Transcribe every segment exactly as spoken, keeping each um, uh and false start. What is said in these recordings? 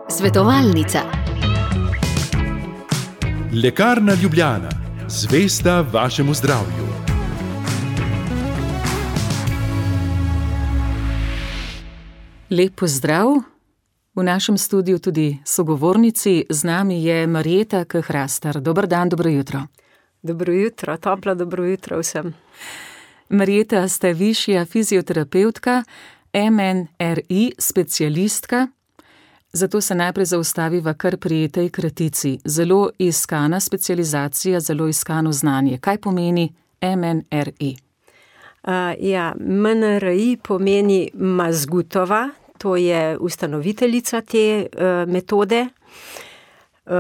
Svetovalnica. Lekarna Ljubljana, zvesta vašemu zdravju. Lep pozdrav. V našem studiu tudi sogovornici, z nami je Marjeta K. Hrastar. Dober dan, dobro jutro. Dobro jutro, toplo dobro jutro vsem. Marjeta, ste višja fizioterapevtka, M N R I specialistka, zato se najprej zaustaviva kar pri tej kratici. Zelo iskana specializacija, zelo iskano znanje. Kaj pomeni M N R I? Uh, ja, M N R I pomeni Mazgutova, to je ustanoviteljica te uh, metode. Uh,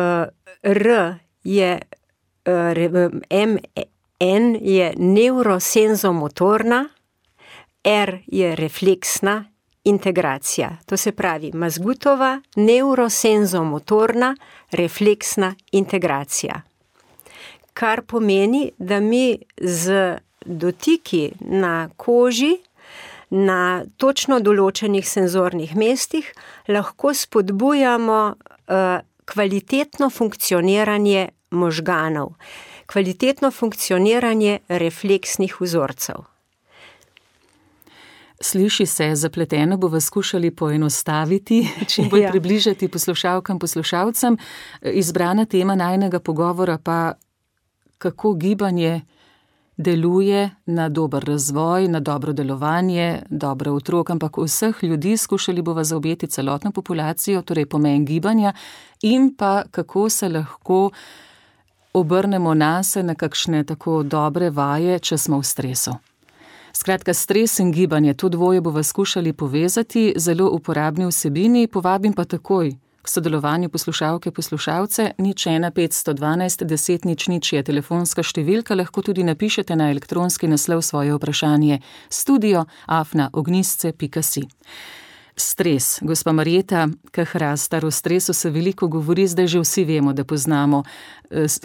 R je, uh, M N je nevrosenzomotorna, R je refleksna integracija. To se pravi Mazgutova, nevrosenzomotorna, refleksna integracija. Kar pomeni, da mi z dotiki na koži, na točno določenih senzornih mestih, lahko spodbujamo uh, kvalitetno funkcioniranje možganov, kvalitetno funkcioniranje refleksnih vzorcev. Sliši se zapleteno, bova skušali poenostaviti, čim bolj ja. približati poslušalkam, poslušalcem. Izbrana tema najinega pogovora pa, kako gibanje deluje na dober razvoj, na dobro delovanje, dobro otrok, ampak vseh ljudi. Skušali bova zaobjeti celotno populacijo, torej pomen gibanja in pa kako se lahko obrnemo nase na kakšne tako dobre vaje, če smo v stresu. Skratka, stres in gibanje, to dvoje bova skušali povezati, zelo uporabni vsebini, povabim pa takoj k sodelovanju poslušalke, poslušalce. Nič ena petsto dvanajst deset nič nič je telefonska številka, lahko tudi napišete na elektronski naslov svoje vprašanje studio afna ognjisce pika si. Stres. Gospa Marjeta K. Hrastar, o stresu se veliko govori, zdaj že vsi vemo, da poznamo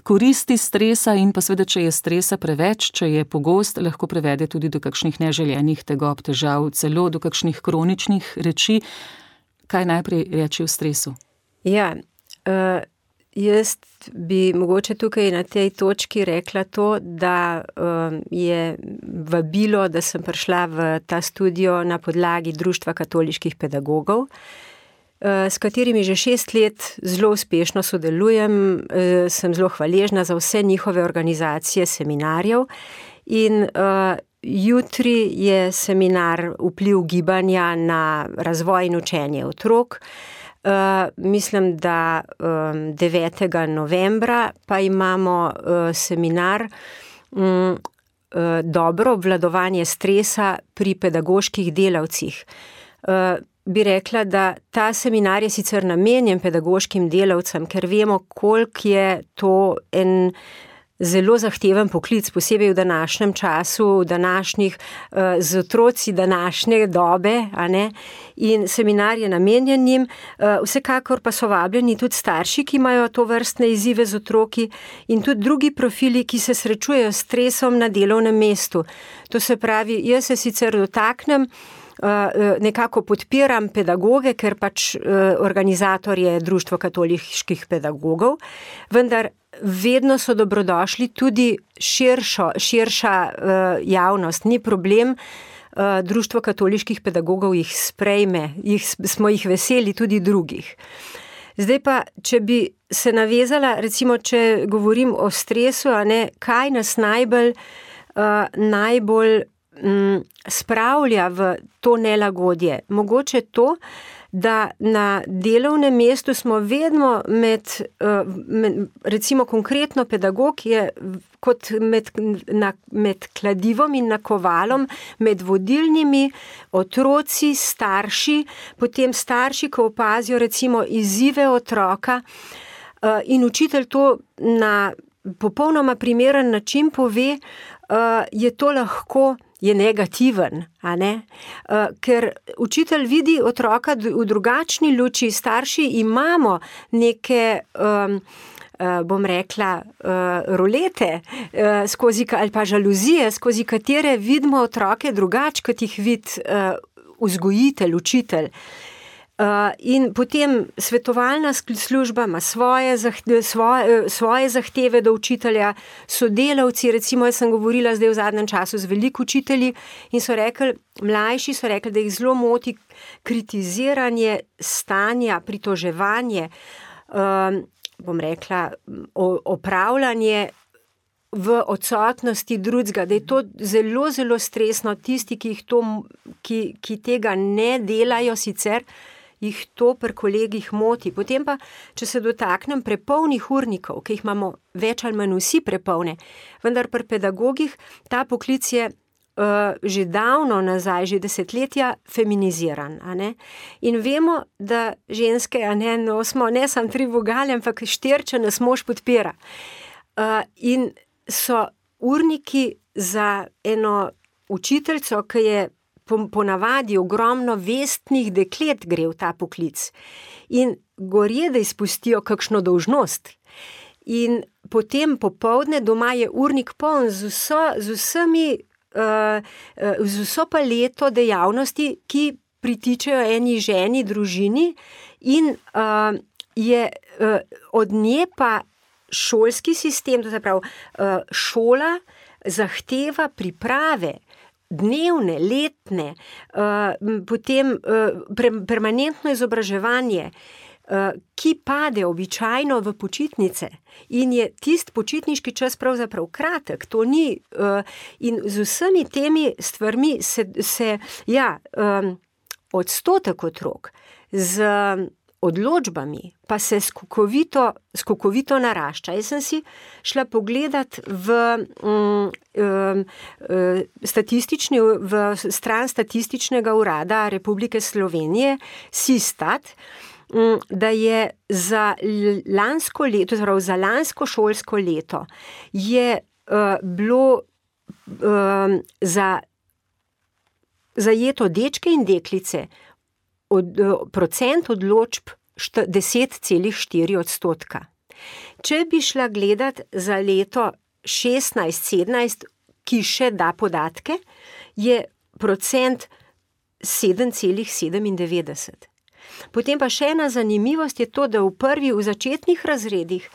koristi stresa in pa seveda, če je stresa preveč, če je pogost, lahko prevede tudi do kakšnih neželjenih tegob, težav, celo do kakšnih kroničnih reči. Kaj najprej reči o stresu? Ja, uh, jaz bi mogoče tukaj na tej točki rekla to, da uh, je vabilo, da sem prišla v ta studio na podlagi Društva katoliških pedagogov, uh, s katerimi že šest let zelo uspešno sodelujem, uh, sem zelo hvaležna za vse njihove organizacije seminarjev in uh, jutri je seminar Vpliv gibanja na razvoj in učenje otrok. Uh, mislim, da um, devetega novembra pa imamo uh, seminar um, uh, Dobro obvladovanje stresa pri pedagoških delavcih. Uh, bi rekla, da ta seminar je sicer namenjen pedagoškim delavcem, ker vemo, koliko je to en zelo zahteven poklic, posebej v današnjem času, v današnjih, z otroci današnje dobe, a ne, in seminar je namenjen njim, vsekakor pa so vabljeni tudi starši, ki imajo to vrstne izzive z otroki in tudi drugi profili, ki se srečujejo s stresom na delovnem mestu. To se pravi, jaz se sicer dotaknem, nekako podpiram pedagoge, ker pač organizator je Društvo katoliških pedagogov, vendar vedno so dobrodošli tudi širšo, širša javnost. Ni problem, Društvo katoliških pedagogov jih sprejme, jih, smo jih veseli tudi drugih. Zdaj pa, če bi se navezala, recimo, če govorim o stresu, a ne, kaj nas najbolj, uh, najbolj um, spravlja v to nelagodje. Mogoče to, da na delovnem mestu smo vedno med, uh, med recimo konkretno pedagog je kot med, na, med kladivom in nakovalom, med vodilnimi otroci, starši, potem starši, ko opazijo recimo izzive otroka uh, in učitelj to na popolnoma primeren način pove, uh, je to lahko je negativen, a ne? Uh, ker učitelj vidi otroka v drugačni luči, starši imamo neke, um, uh, bom rekla, uh, rolete uh, skozi, ali pa žaluzije, skozi katere vidimo otroke drugače, kot jih vidi uh, vzgojitelj, učitelj. Uh, in potem svetovalna služba ima svoje, zahte, svoje, svoje zahteve do učitelja, sodelavci, recimo jaz sem govorila zdaj v zadnjem času z veliko učitelji in so rekli, mlajši so rekli, da jih zelo moti kritiziranje stanja, pritoževanje, um, bom rekla, opravljanje v odsotnosti drugega, da je to zelo, zelo stresno. Tisti, ki, jih to, ki, ki tega ne delajo sicer, jih to pri kolegih moti. Potem pa, če se dotaknem prepolnih urnikov, ki jih imamo več ali manj vsi prepolne, vendar pri pedagogih ta poklic je uh, že davno nazaj, že desetletja feminiziran. A ne? In vemo, da ženske, a ne, no, smo ne samo tri vogale, ampak štiri, če nas mož podpira. Uh, in so urniki za eno učiteljico, ki je ponavadi ogromno vestnih deklet gre v ta poklic in gorje, da izpustijo kakšno dolžnost. In potem popoldne doma je urnik poln z, vso, z vsemi, uh, z vso paleto dejavnosti, ki pritičejo eni ženi, družini in uh, je uh, od nje pa šolski sistem, to se pravi, uh, šola zahteva priprave, dnevne, letne, uh, potem uh, pre, permanentno izobraževanje, uh, ki pade običajno v počitnice in je tist počitniški čas pravzaprav kratek, to ni, uh, in z vsemi temi stvarmi se, se ja, um, odstotek otrok z odločbami pa se skokovito, skokovito narašča. Jaz sem si šla pogledat v, um, um, statistični, v stran Statističnega urada Republike Slovenije, SISTAT, um, da je za lansko leto, torej za lansko šolsko leto, je uh, bilo um, za zajeto dečke in deklice Od, procent odločb deset celih štiri odstotka. Če bi šla gledat za leto šestnajst sedemnajst, ki še da podatke, je procent sedem celih sedemindevetdeset. Potem pa še ena zanimivost je to, da v prvi, v začetnih razredih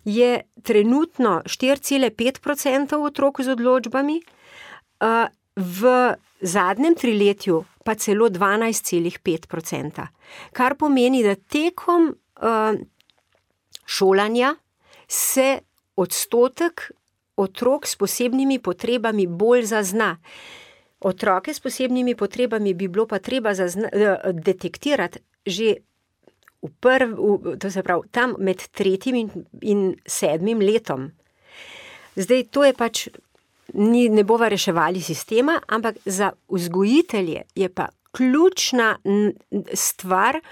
je trenutno štiri celih pet odstotka otrok z odločbami, v zadnjem triletju pa celo dvanajst celih pet odstotka. Kar pomeni, da tekom uh, šolanja se odstotek otrok s posebnimi potrebami bolj zazna. Otroke s posebnimi potrebami bi bilo pa treba zazna, uh, detektirati že v prv, v, to se pravi, tam med tretjim in, in sedmim letom. Zdaj, to je pač Ni, ne bova reševali sistema, ampak za vzgojitelje je pa ključna stvar,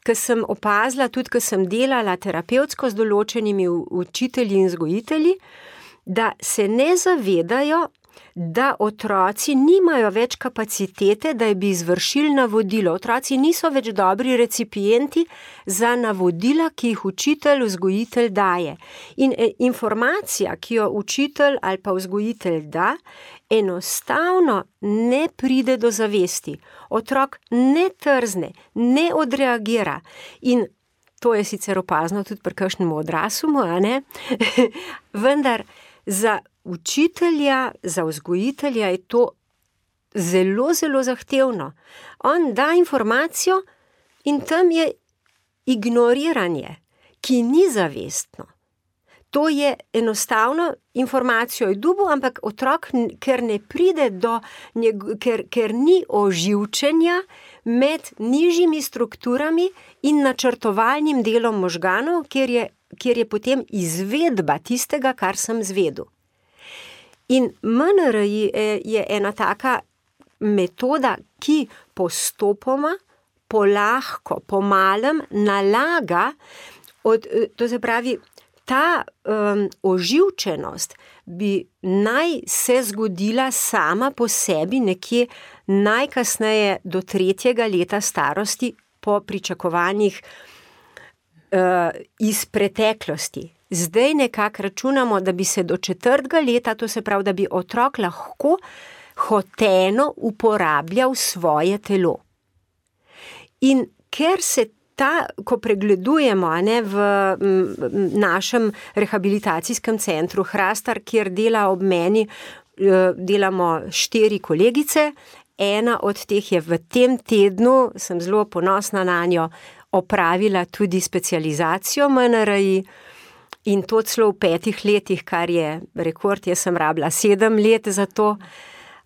ki sem opazila, tudi ko sem delala terapevtsko z določenimi učitelji in vzgojitelji, da se ne zavedajo, da otroci nimajo več kapacitete, da bi izvršili navodilo. Otroci niso več dobri recipienti za navodila, ki jih učitelj, vzgojitelj daje. In informacija, ki jo učitelj ali pa vzgojitelj da, enostavno ne pride do zavesti. Otrok ne trzne, ne odreagira. In to je sicer opazno tudi pri kakšnem odraslu, a ne? Vendar za učitelja, za vzgojitelja je to zelo, zelo zahtevno. On da informacijo in tam je ignoriranje, ki ni zavestno. To je enostavno, informacijo je dobil, ampak otrok, ker ne pride do, ker, ker ni oživčenja med nižjimi strukturami in načrtovalnim delom možganov, kjer je, kjer je potem izvedba tistega, kar sem zvedel. In M N R I je ena taka metoda, ki postopoma, polahko, pomalem nalaga, od, to se pravi, ta um, oživčenost bi naj se zgodila sama po sebi nekje najkasneje do tretjega leta starosti po pričakovanjih uh, iz preteklosti. Zdaj nekako računamo, da bi se do četrtega leta, to se pravi, da bi otrok lahko hoteno uporabljal svoje telo. In ker se ta, ko pregledujemo, a ne, v m, našem rehabilitacijskem centru Hrastar, kjer dela ob meni, delamo štiri kolegice, ena od teh je v tem tednu, sem zelo ponosna na njo, opravila tudi specializacijo M N R I in to celo v petih letih, kar je rekord, jaz sem rabila sedem let za to.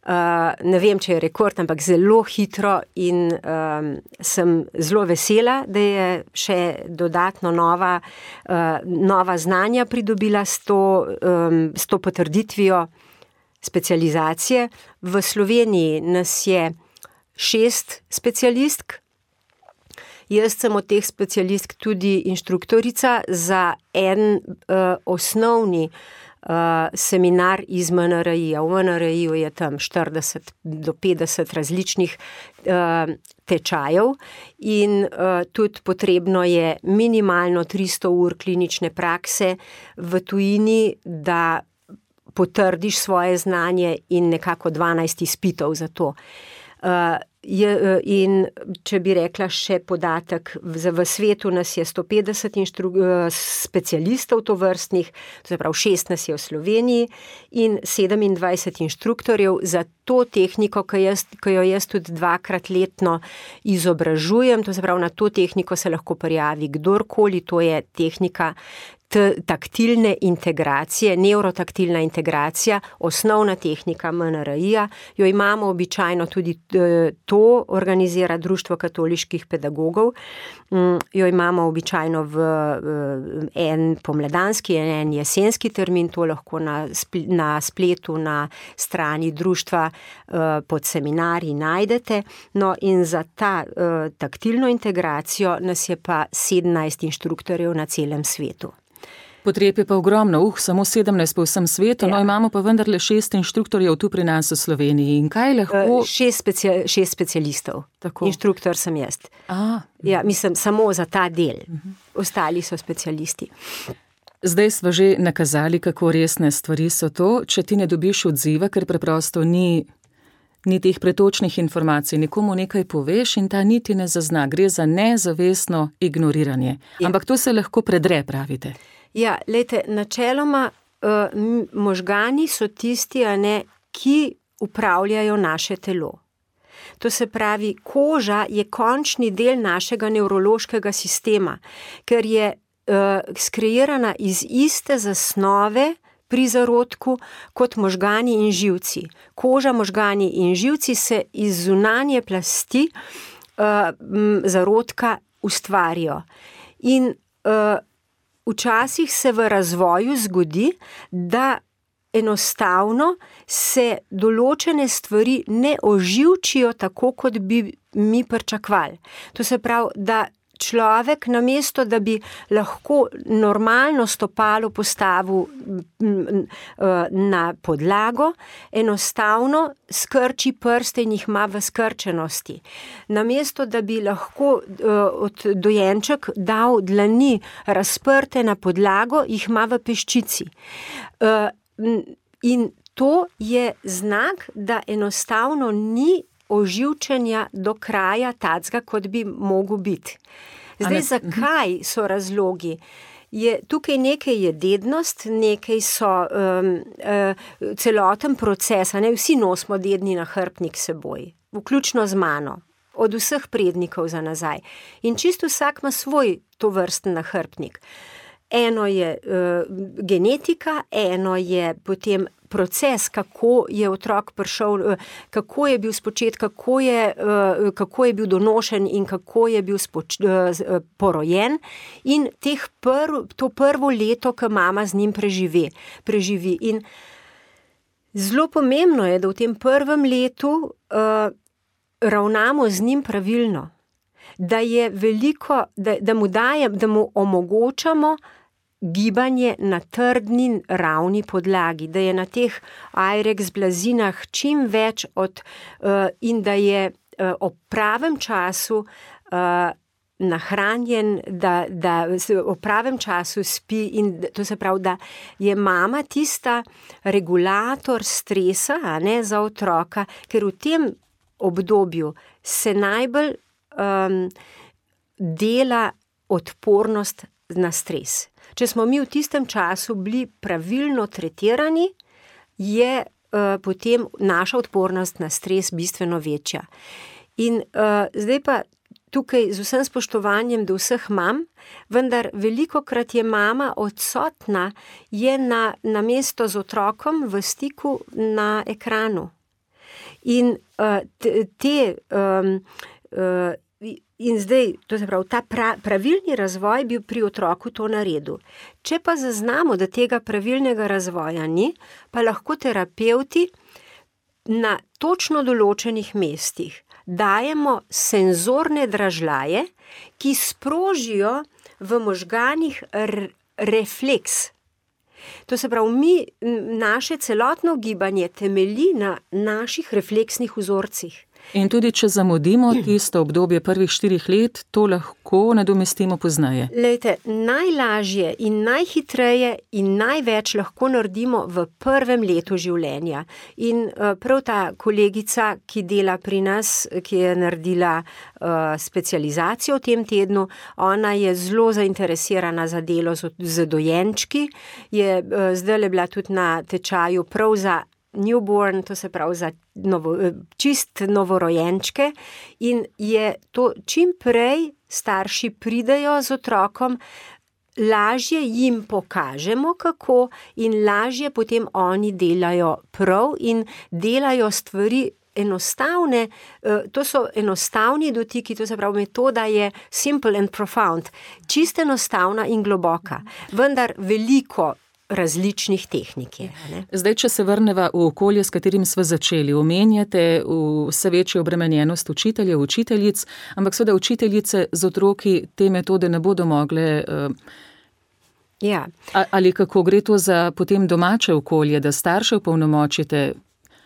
Uh, ne vem, če je rekord, ampak zelo hitro in um, sem zelo vesela, da je še dodatno nova, uh, nova znanja pridobila s to, um, s to potrditvijo specializacije. V Sloveniji nas je šest specialistk. Jaz sem od teh specialistk tudi inštruktorica za en uh, osnovni Uh, seminar iz M N R I-ja. V M N R I-ju je tam štirideset do petdeset različnih uh, tečajev in uh, tudi potrebno je minimalno tristo ur klinične prakse v tujini, da potrdiš svoje znanje in nekako dvanajst izpitov za to. Uh, je, in če bi rekla še podatek, v, v svetu nas je sto petdeset inštru, specialistov tovrstnih, to se pravi šest nas je v Sloveniji in sedemindvajset inštruktorjev za to tehniko, ki, jaz, ki jo jaz tudi dvakrat letno izobražujem, to se pravi na to tehniko se lahko prijavi kdorkoli, to je tehnika taktilne integracije, nevrotaktilna integracija, osnovna tehnika M N R I-ja, jo imamo običajno tudi to organizira Društvo katoliških pedagogov, jo imamo običajno v en pomladanski, en jesenski termin, to lahko na, na spletu, na strani društva pod seminarji najdete, no in za ta taktilno integracijo nas je pa sedemnajst inštruktorjev na celem svetu. Potreb je pa ogromno, uh, samo sedemnajst po vsem svetu, ja. No imamo pa vendarle šest inštruktorjev tu pri nas v Sloveniji. In kaj lahko... Šest, specia... šest specialistov, tako. Inštruktor sem jaz. A, ja, mislim, samo za ta del. Uh-huh. Ostali so specialisti. Zdaj smo že nakazali, kako resne stvari so to, če ti ne dobiš odziva, ker preprosto ni, ni teh pretočnih informacij, nekomu nekaj poveš in ta niti ne zazna. Gre za nezavestno ignoriranje. Ja. Ampak to se lahko predre, pravite. Ja, lejte, načeloma uh, možgani so tisti, a ne, ki upravljajo naše telo. To se pravi, koža je končni del našega nevrološkega sistema, ker je uh, skreirana iz iste zasnove pri zarodku kot možgani in živci. Koža, možgani in živci se iz zunanje plasti uh, zarodka ustvarijo. In uh, včasih se v razvoju zgodi, da enostavno se določene stvari ne oživčijo tako, kot bi mi pričakovali. To se pravi, da človek namesto, da bi lahko normalno stopalo postavil na podlago, enostavno skrči prste in jih ima v skrčenosti. Namesto, da bi lahko od dojenček dal dlani razprte na podlago, jih ima v peščici. In to je znak, da enostavno ni oživčenja do kraja tacga, kot bi mogel biti. Zdaj, zakaj so razlogi? Je, tukaj nekaj je dednost, nekaj so um, uh, celoten proces, a ne, vsi nosimo dedni nahrbtnik seboj, vključno z mano, od vseh prednikov za nazaj. In čisto vsak ima svoj tovrsten nahrbtnik. Eno je uh, genetika, eno je potem proces, kako je otrok prišel, kako je bil spočet, kako je, kako je bil donošen in kako je bil spoč, porojen in teh prv, to prvo leto, ko mama z njim preživi, preživi. In zelo pomembno je, da v tem prvem letu uh, ravnamo z njim pravilno, da je veliko, da, da mu dajem, da mu omogočamo gibanje na trdni ravni podlagi, da je na teh Airex blazinah čim več od, uh, in da je uh, ob pravem času uh, nahranjen, da, da ob pravem času spi in to se pravi, da je mama tista regulator stresa, a ne, za otroka, ker v tem obdobju se najbolj um, dela odpornost na stres. Če smo mi v tistem času bili pravilno tretirani, je uh, potem naša odpornost na stres bistveno večja. In uh, zdaj pa tukaj z vsem spoštovanjem do vseh mam, vendar velikokrat je mama odsotna, je na, na mesto z otrokom v stiku na ekranu. In uh, te, te um, uh, in zdaj, to se pravi, ta pra, pravilni razvoj bi pri otroku to naredil. Če pa zaznamo, da tega pravilnega razvoja ni, pa lahko terapevti na točno določenih mestih dajemo senzorne dražljaje, ki sprožijo v možganih r- refleks. To se pravi, mi, naše celotno gibanje temelji na naših refleksnih vzorcih. In tudi, če zamudimo tisto obdobje prvih štirih let, to lahko nadomestimo pozneje. Lejte, najlažje in najhitreje in največ lahko naredimo v prvem letu življenja. In uh, prav ta kolegica, ki dela pri nas, ki je naredila uh, specializacijo v tem tednu, ona je zelo zainteresirana za delo z, z dojenčki, je uh, zdaj bila tudi na tečaju prav za newborn, to se pravi za novo, čist novorojenčke, in je to čim prej starši pridejo z otrokom, lažje jim pokažemo kako in lažje potem oni delajo prav in delajo stvari enostavne, to so enostavni dotiki, to se pravi, metoda je simple and profound, čist enostavna in globoka, vendar veliko različnih tehnik je. Ne? Zdaj, če se vrneva v okolje, s katerim smo začeli, omenjate vse večjo obremenjenost učiteljev, učiteljic, ampak seveda učiteljice z otroki te metode ne bodo mogle. Ja. Ali kako gre to za potem domače okolje, da starše opolnomočite?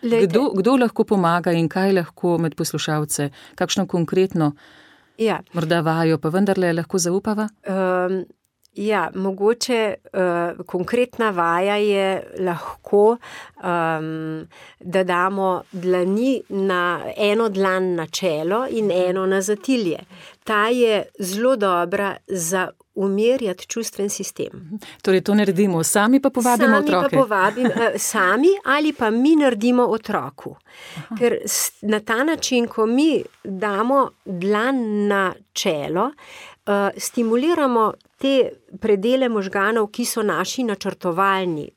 Kdo, kdo lahko pomaga in kaj lahko med poslušalce, kakšno konkretno ja. morda vajo, pa vendarle lahko zaupava? Um, Ja, mogoče uh, konkretna vaja je lahko, um, da damo dlani na eno dlan na čelo in eno na zatilje. Ta je zelo dobra za umirjati čustven sistem. Torej to naredimo, sami pa povabimo sami otroke. Pa povabim, uh, sami ali pa mi naredimo otroku. Aha. Ker na ta način, ko mi damo dlan na čelo, uh, stimuliramo te predele možganov, ki so naši načrtovalni,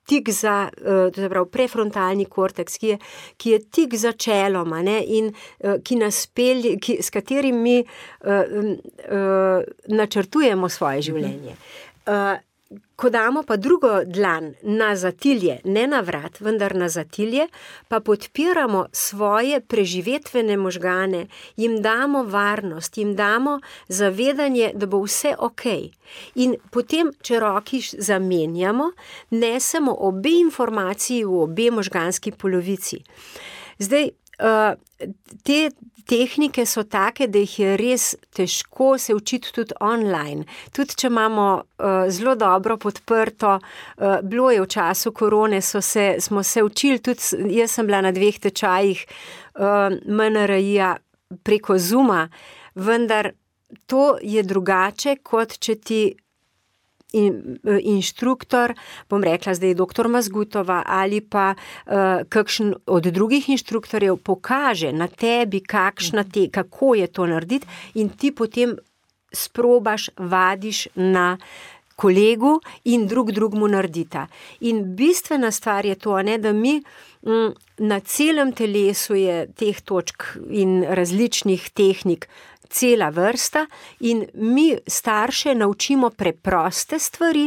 tik za, to se pravi, prefrontalni korteks, ki je, ki je tik za čeloma, ne, in ki nas pelje, ki, s katerim mi uh, uh, načrtujemo svoje življenje. Uh, Ko damo pa drugo dlan na zatilje, ne na vrat, vendar na zatilje, pa podpiramo svoje preživetvene možgane, jim damo varnost, jim damo zavedanje, da bo vse okej. In potem, če roki zamenjamo, nesemo obe informaciji v obe možganski polovici. Zdaj, te tehnike so take, da jih je res težko se učiti tudi online. Tudi, če imamo uh, zelo dobro podprto, uh, bilo je v času korone, so se, smo se učili, tudi jaz sem bila na dveh tečajih uh, M N R I-ja preko Zooma, vendar to je drugače, kot če ti In, inštruktor, bom rekla zdaj doktor Mazgutova ali pa uh, kakšen od drugih inštruktorjev pokaže na tebi, kakšna te, kako je to narediti in ti potem sprobaš, vadiš na kolegu in drug drugmu naredita. In bistvena stvar je to, ne, da mi m, na celem telesu je teh točk in različnih tehnik cela vrsta in mi starše naučimo preproste stvari,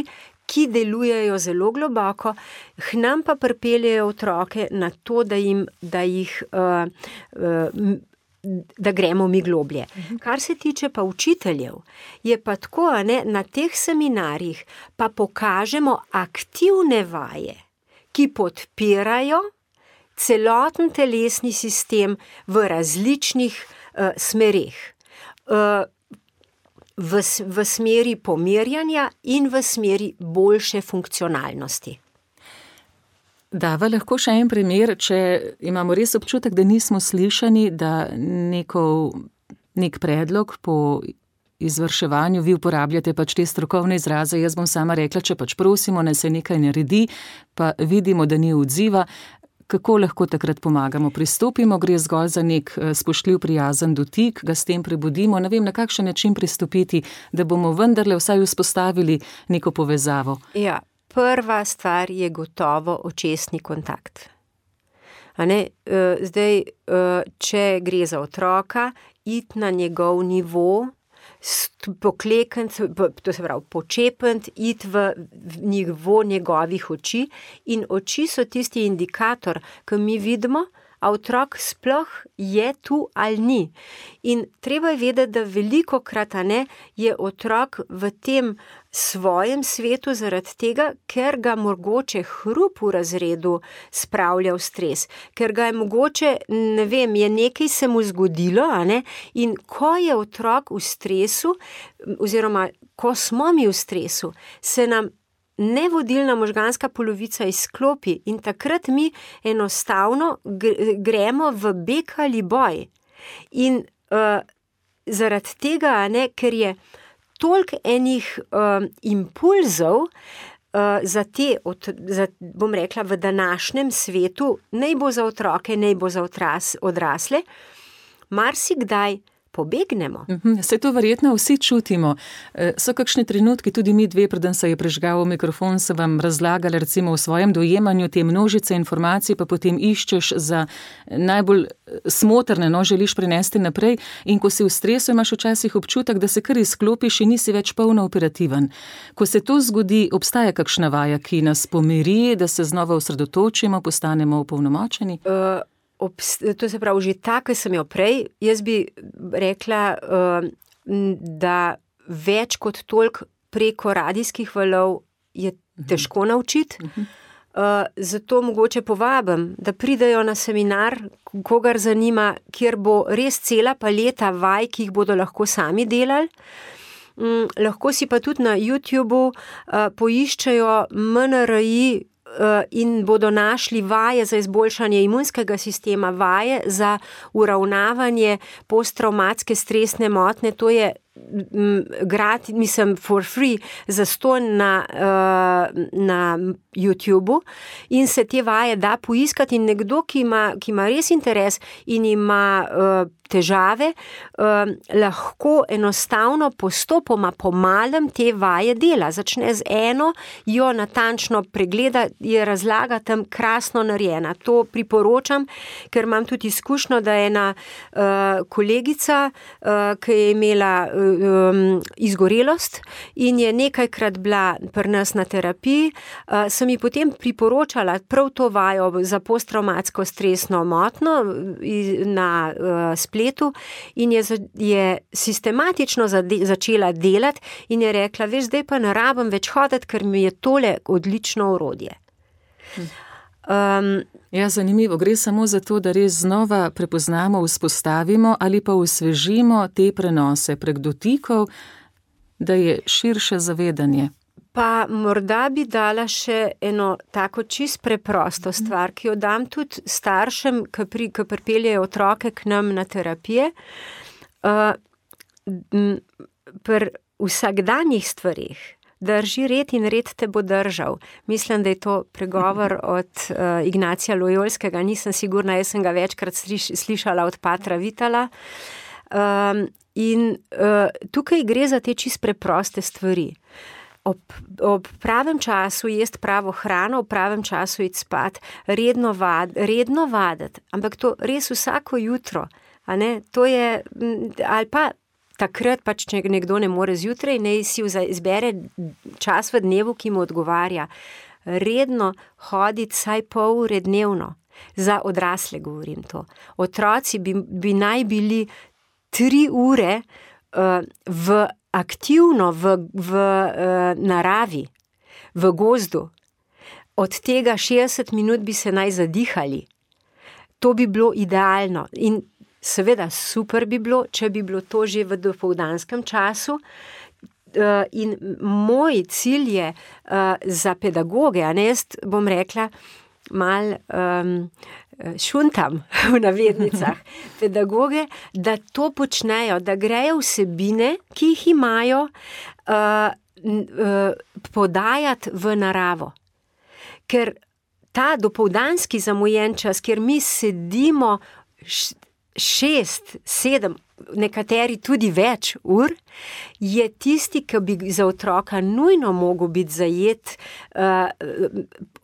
ki delujejo zelo globoko, k nam pa pripeljejo otroke na to, da, jim, da jih uh, uh, da gremo mi globlje. Kar se tiče pa učiteljev, je pa tako, ne, na teh seminarjih pa pokažemo aktivne vaje, ki podpirajo celoten telesni sistem v različnih uh, smereh. V, v smeri pomirjanja in v smeri boljše funkcionalnosti. Dava lahko še en primer, če imamo res občutek, da nismo slišani, da neko, nek predlog po izvrševanju, vi uporabljate pač te strokovne izraze, jaz bom sama rekla, če pač prosimo, ne se nekaj naredi, pa vidimo, da ni odziva, kako lahko takrat pomagamo? Pristopimo, gre zgolj za nek spoštljiv, prijazen dotik, ga s tem prebudimo, ne vem, na kakšen način pristopiti, da bomo vendarle vsaj vzpostavili neko povezavo. Ja, prva stvar je gotovo očesni kontakt. A ne, zdaj, če gre za otroka, iti na njegov nivo, pokleknit, to se pravi počepnit, iti v nivo njegovih oči in oči so tisti indikator, ki mi vidimo, a otrok sploh je tu ali ni. In treba je vedeti, da velikokrat, a ne, je otrok v tem svojem svetu zaradi tega, ker ga mogoče hrup v razredu spravlja v stres, ker ga je mogoče, ne vem, je nekaj se mu zgodilo, a ne, in ko je otrok v stresu, oziroma ko smo mi v stresu, se nam nevodilna možganska polovica izklopi in takrat mi enostavno gremo v beg ali boj. In uh, zaradi tega, ne, ker je toliko enih um, impulzov uh, za te, od, za, bom rekla, v današnjem svetu, naj bo za otroke, naj bo za otras, odrasle, marsikdaj pobegnemo. Se to verjetno vsi čutimo. So kakšni trenutki, tudi mi dve, preden se je prižgal mikrofon, se vam razlagali recimo v svojem dojemanju te množice informacij, pa potem iščeš za najbolj smotrne, no, želiš prenesti naprej in ko si v stresu, imaš včasih občutek, da se kar izklopiš in nisi več polno operativen. Ko se to zgodi, obstaja kakšna vaja, ki nas pomiri, da se znova osredotočimo, postanemo opolnomočeni? Uh... To se pravi, že ta, ki sem jo prej, jaz bi rekla, da več kot toliko preko radijskih valov je težko naučiti. Zato mogoče povabim, da pridejo na seminar, kogar zanima, kjer bo res cela paleta vaj, ki jih bodo lahko sami delali. Lahko si pa tudi na YouTubeu poiščejo M N R I in bodo našli vaje za izboljšanje imunskega sistema, vaje za uravnavanje posttravmatske stresne motnje, to je grad, mislim, for free, zastonj na, na YouTubeu in se te vaje da poiskati in nekdo, ki ima, ki ima res interes in ima težave, lahko enostavno postopoma po malem te vaje dela. Začne z eno, jo natančno pregleda, je razlaga tam krasno narejena. To priporočam, ker imam tudi izkušnjo, da je ena kolegica, ki je imela izgorelost in je nekajkrat bila pri nas na terapiji, sem ji potem priporočala prav to vajo za posttravmatsko stresno motnjo na spletu in je, je sistematično začela delati in je rekla, veš, zdaj pa ne rabim več hoditi, ker mi je tole odlično orodje. Um, ja, zanimivo. Gre samo za to, da res znova prepoznamo, vzpostavimo ali pa osvežimo te prenose prek dotikov, da je širše zavedanje. Pa morda bi dala še eno tako čist preprosto stvar, ki jo dam tudi staršem, ki, pri, ki pripeljejo otroke k nam na terapije. Uh, pri vsakdanjih stvarih drži red in red te bo držal. Mislim, da je to pregovor od uh, Ignacija Lojolskega, nisem sigurna, jaz sem ga večkrat sliš, slišala od patra Vitala. Um, in uh, tukaj gre za te čist preproste stvari. Ob, ob pravem času jesti pravo hrano, ob pravem času iti spat, redno, vad, redno vaditi, ampak to res vsako jutro, a ne, to je, ali pa takrat pač, če nekdo ne more zjutraj, ne si izbere čas v dnevu, ki mu odgovarja. Redno hoditi saj pol ure dnevno. Za odrasle govorim to. Otroci bi, bi naj bili tri ure uh, v aktivno v, v uh, naravi, v gozdu. Od tega šestdeset minut bi se naj zadihali. To bi bilo idealno. In seveda super bi bilo, če bi bilo to že v dopoldanskem času. Uh, in moj cilj je uh, za pedagoge, a ne, jaz bom rekla, mal um, šuntam v navednicah pedagoge, da to počnejo, da grejo vsebine, ki jih imajo, uh, uh, podajati v naravo. Ker ta dopoldanski zamujen čas, kjer mi sedimo šest, sedem, nekateri tudi več ur, je tisti, ki bi za otroka nujno mogel biti zajet. Uh,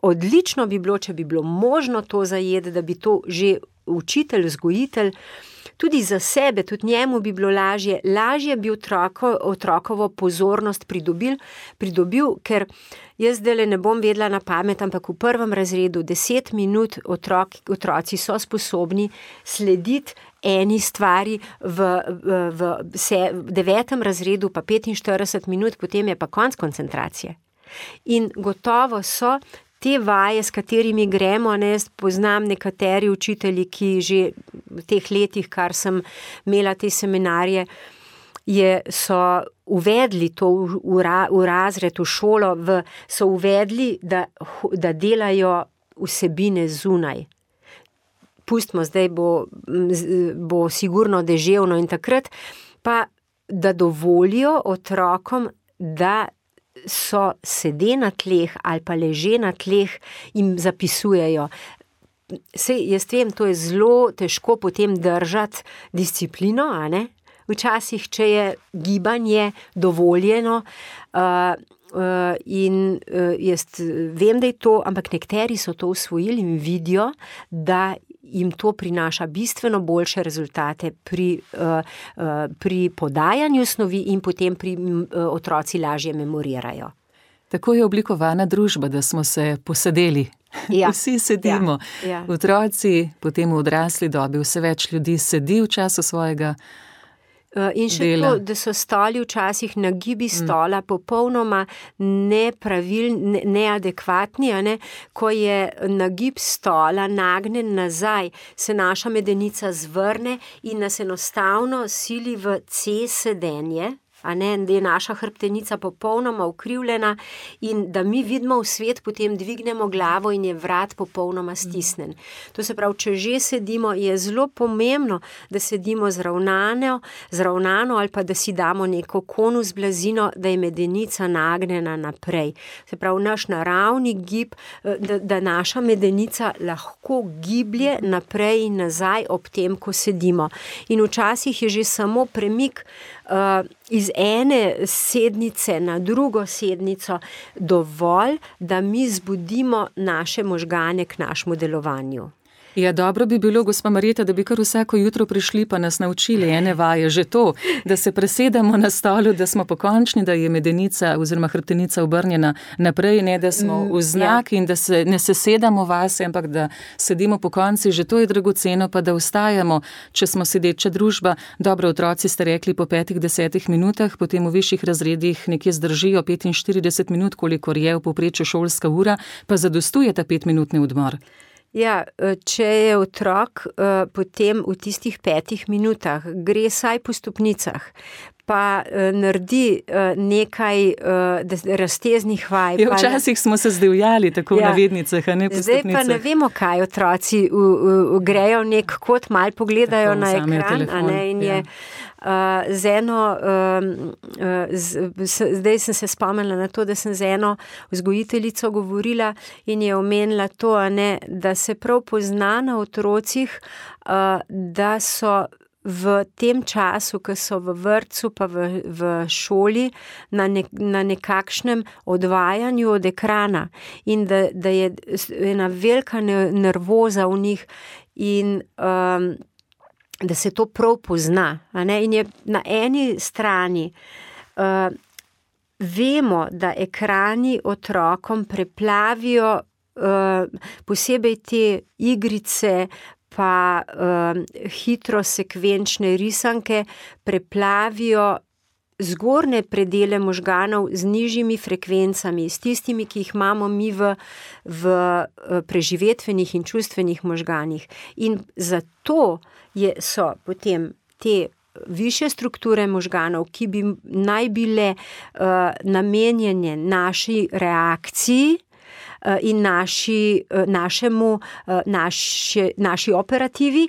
odlično bi bilo, če bi bilo možno to zajeti, da bi to že učitelj, vzgojitelj, tudi za sebe, tudi njemu bi bilo lažje, lažje bi otroko, otrokovo pozornost pridobil, pridobil, ker jaz zdaj ne bom vedela na pamet, ampak v prvem razredu deset minut otrok, otroci so sposobni slediti eni stvari, v, v, v, se, v devetem razredu pa petinštirideset minut, potem je pa konc koncentracije. In gotovo so te vaje, s katerimi gremo, ne, jaz poznam nekateri učitelji, ki že v teh letih, kar sem imela te seminarje, je, so uvedli to v, v, v razred, v šolo, v, so uvedli, da, da delajo vsebine zunaj. Pustimo, zdaj bo, bo sigurno deževno in takrat, pa da dovolijo otrokom, da so sede na tleh ali pa leže na tleh in zapisujejo. Sej, jaz vem, to je zelo težko potem držati disciplino, a ne? Včasih, če je gibanje dovoljeno, uh, uh, in uh, jaz vem, da je to, ampak nekateri so to usvojili in vidijo, da jim to prinaša bistveno boljše rezultate pri, uh, uh, pri podajanju snovi in potem pri uh, otroci lažje memorirajo. Tako je oblikovana družba, da smo se posedeli. Ja. Vsi sedimo. Ja. Ja. Otroci, potem v odrasli dobi, vse več ljudi sedi v času svojega In še dela. To, da so stoli včasih na gibi stola mm. popolnoma nepravil, ne, neadekvatni, ne? Ko je nagib stola nagnen nazaj, se naša medenica zvrne in nas enostavno sili v C sedenje, a ne, da je naša hrbtenica popolnoma ukrivljena in da mi vidimo v svet, potem dvignemo glavo in je vrat popolnoma stisnen. To se pravi, če že sedimo, je zelo pomembno, da sedimo zravnano, zravnano ali pa da si damo neko konus blazino, da je medenica nagnjena naprej. Se pravi, naš naravni gib, da, da naša medenica lahko giblje naprej in nazaj ob tem, ko sedimo. In včasih je že samo premik uh, iz ene sednice na drugo sednico dovolj, da mi zbudimo naše možgane k našemu delovanju. Ja, dobro bi bilo, gospa Marjeta, da bi kar vsako jutro prišli pa nas naučili ene vaje, že to, da se presedamo na stolu, da smo pokončni, da je medenica oziroma hrbtenica obrnjena naprej, ne da smo v znak in da se ne sesedamo vase, ampak da sedimo po konci, že to je dragoceno, pa da ostajamo, če smo sedeča družba. Dobro, otroci ste rekli po petih, desetih minutah, potem v višjih razredih nekje zdržijo petinštirideset minut, kolikor je v povprečju šolska ura, pa zadostuje ta petminutni odmor. Ja, če je otrok potem v tistih petih minutah gre saj po stopnicah, pa naredi nekaj razteznih vaj. Ja, včasih ne... smo se zdivjali tako ja. v navednicah, a ne po Zdaj stopnicah. Pa ne vemo, kaj otroci v, v, v grejo nek kot, mal pogledajo tako, na ekran, telefon, a ne, in je ja. uh, z eno, uh, z, z, zdaj sem se spomnila na to, da sem z eno vzgojiteljico govorila in je omenila to, a ne, da se prav pozna na otrocih, uh, da so v tem času, ko so v vrtcu pa v, v šoli na, ne, na nekakšnem odvajanju od ekrana in da, da je ena velika nervoza v njih in um, da se to prav pozna. A ne? In je na eni strani uh, vemo, da ekrani otrokom preplavijo uh, posebej te igrice, pa uh, hitro sekvenčne risanke preplavijo zgornje predele možganov z nižjimi frekvencami, s tistimi, ki jih imamo mi v, v preživetvenih in čustvenih možganih. In zato je, so potem te višje strukture možganov, ki bi naj bile uh, namenjene naši reakciji, in naši, našemu, naši, naši operativi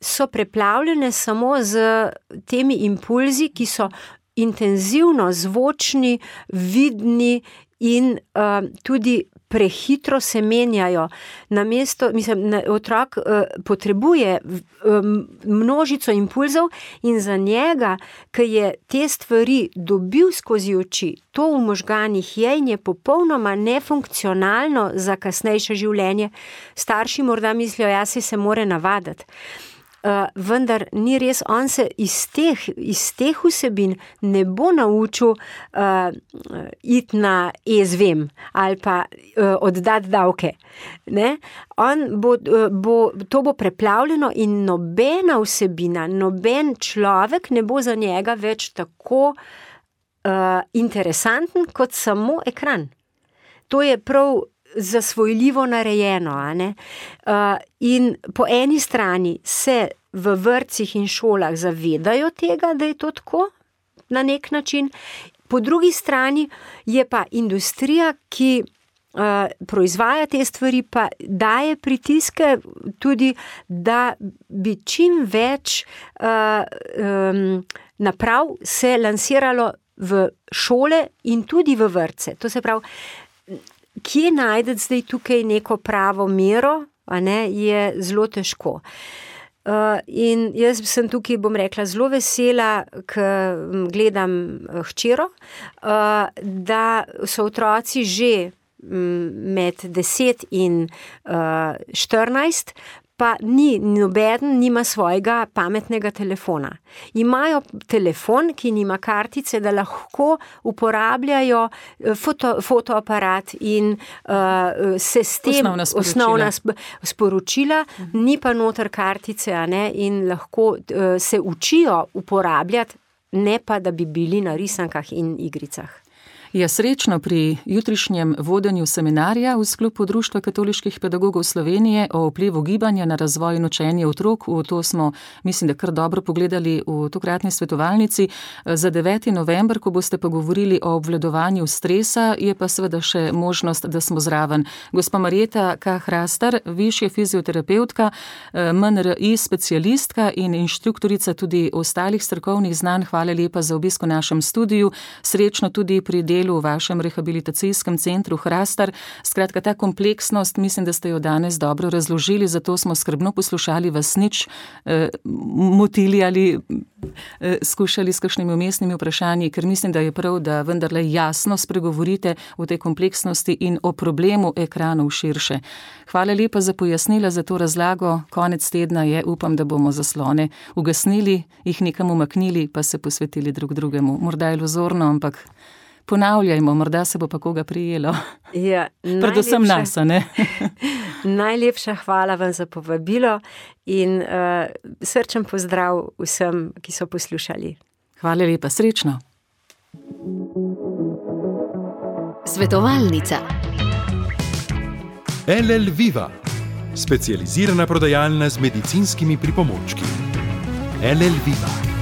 so preplavljene samo z temi impulzi, ki so intenzivno zvočni, vidni in tudi prehitro se menjajo. Namesto, mislim, otrok uh, potrebuje um, množico impulzov in za njega, ki je te stvari dobil skozi oči, to v možganih je in je popolnoma nefunkcionalno za kasnejše življenje. Starši morda mislijo, ja, si se more navaditi. Uh, vendar ni res, on se iz teh, iz teh vsebin ne bo naučil uh, iti na e-zvem ali pa uh, oddati davke. Ne? On bo, uh, bo, to bo preplavljeno in nobena vsebina, noben človek ne bo za njega več tako uh, interesanten kot samo ekran. To je prav zasvojljivo narejeno. A ne? Uh, in po eni strani se v vrtcih in šolah zavedajo tega, da je to tako na nek način, po drugi strani je pa industrija, ki uh, proizvaja te stvari, pa daje pritiske tudi, da bi čim več uh, um, naprav se lansiralo v šole in tudi v vrtce. To se pravi, kje najdete zdaj tukaj neko pravo mero, a ne, je zelo težko. Uh, in jaz sem tukaj, bom rekla, zelo vesela, ker gledam hčero, uh, da so otroci že med deset in štirinajst, pa ni, nobeden nima svojega pametnega telefona. Imajo telefon, ki nima kartice, da lahko uporabljajo foto, fotoaparat in uh, se s tem osnovna sporočila, osnovna sp- sporočila uh-huh. Ni pa noter kartice, a ne, in lahko uh, se učijo uporabljati, ne pa, da bi bili na risankah in igricah. Ja, srečno pri jutrišnjem vodenju seminarja v sklopu Društva katoliških pedagogov Slovenije o vplivu gibanja na razvoj in učenje otrok. V to smo, mislim, da kar dobro pogledali v tokratni svetovalnici. Za deveti november, ko boste pa govorili o obvladovanju stresa, je pa seveda še možnost, da smo zraven. Gospa Marjeta K. Hrastar, višja fizioterapeutka, M N R I specialistka in inštruktorica tudi ostalih strokovnih znanj. Hvala lepa za obisk v našem studiu. Srečno tudi pri delu v vašem rehabilitacijskem centru Hrastar. Skratka, ta kompleksnost, mislim, da ste jo danes dobro razložili, zato smo skrbno poslušali, vas nič eh, motili ali eh, skušali s kakšnimi umestnimi vprašanji, ker mislim, da je prav, da vendarle jasno spregovorite o tej kompleksnosti in o problemu ekranov širše. Hvala lepa za pojasnila, za to razlago. Konec tedna je, upam, da bomo zaslone ugasnili, jih nekam umaknili, pa se posvetili drug drugemu. Morda je iluzorno, ampak ponavljajmo, morda se bo pa koga prijelo. Ja, predvsem nas, ne? Najlepša hvala vam za povabilo in uh, srčen pozdrav vsem, ki so poslušali. Hvala lepa, srečno. Svetovalnica. L L Viva, specializirana prodajalna z medicinskimi pripomočki. L L Viva.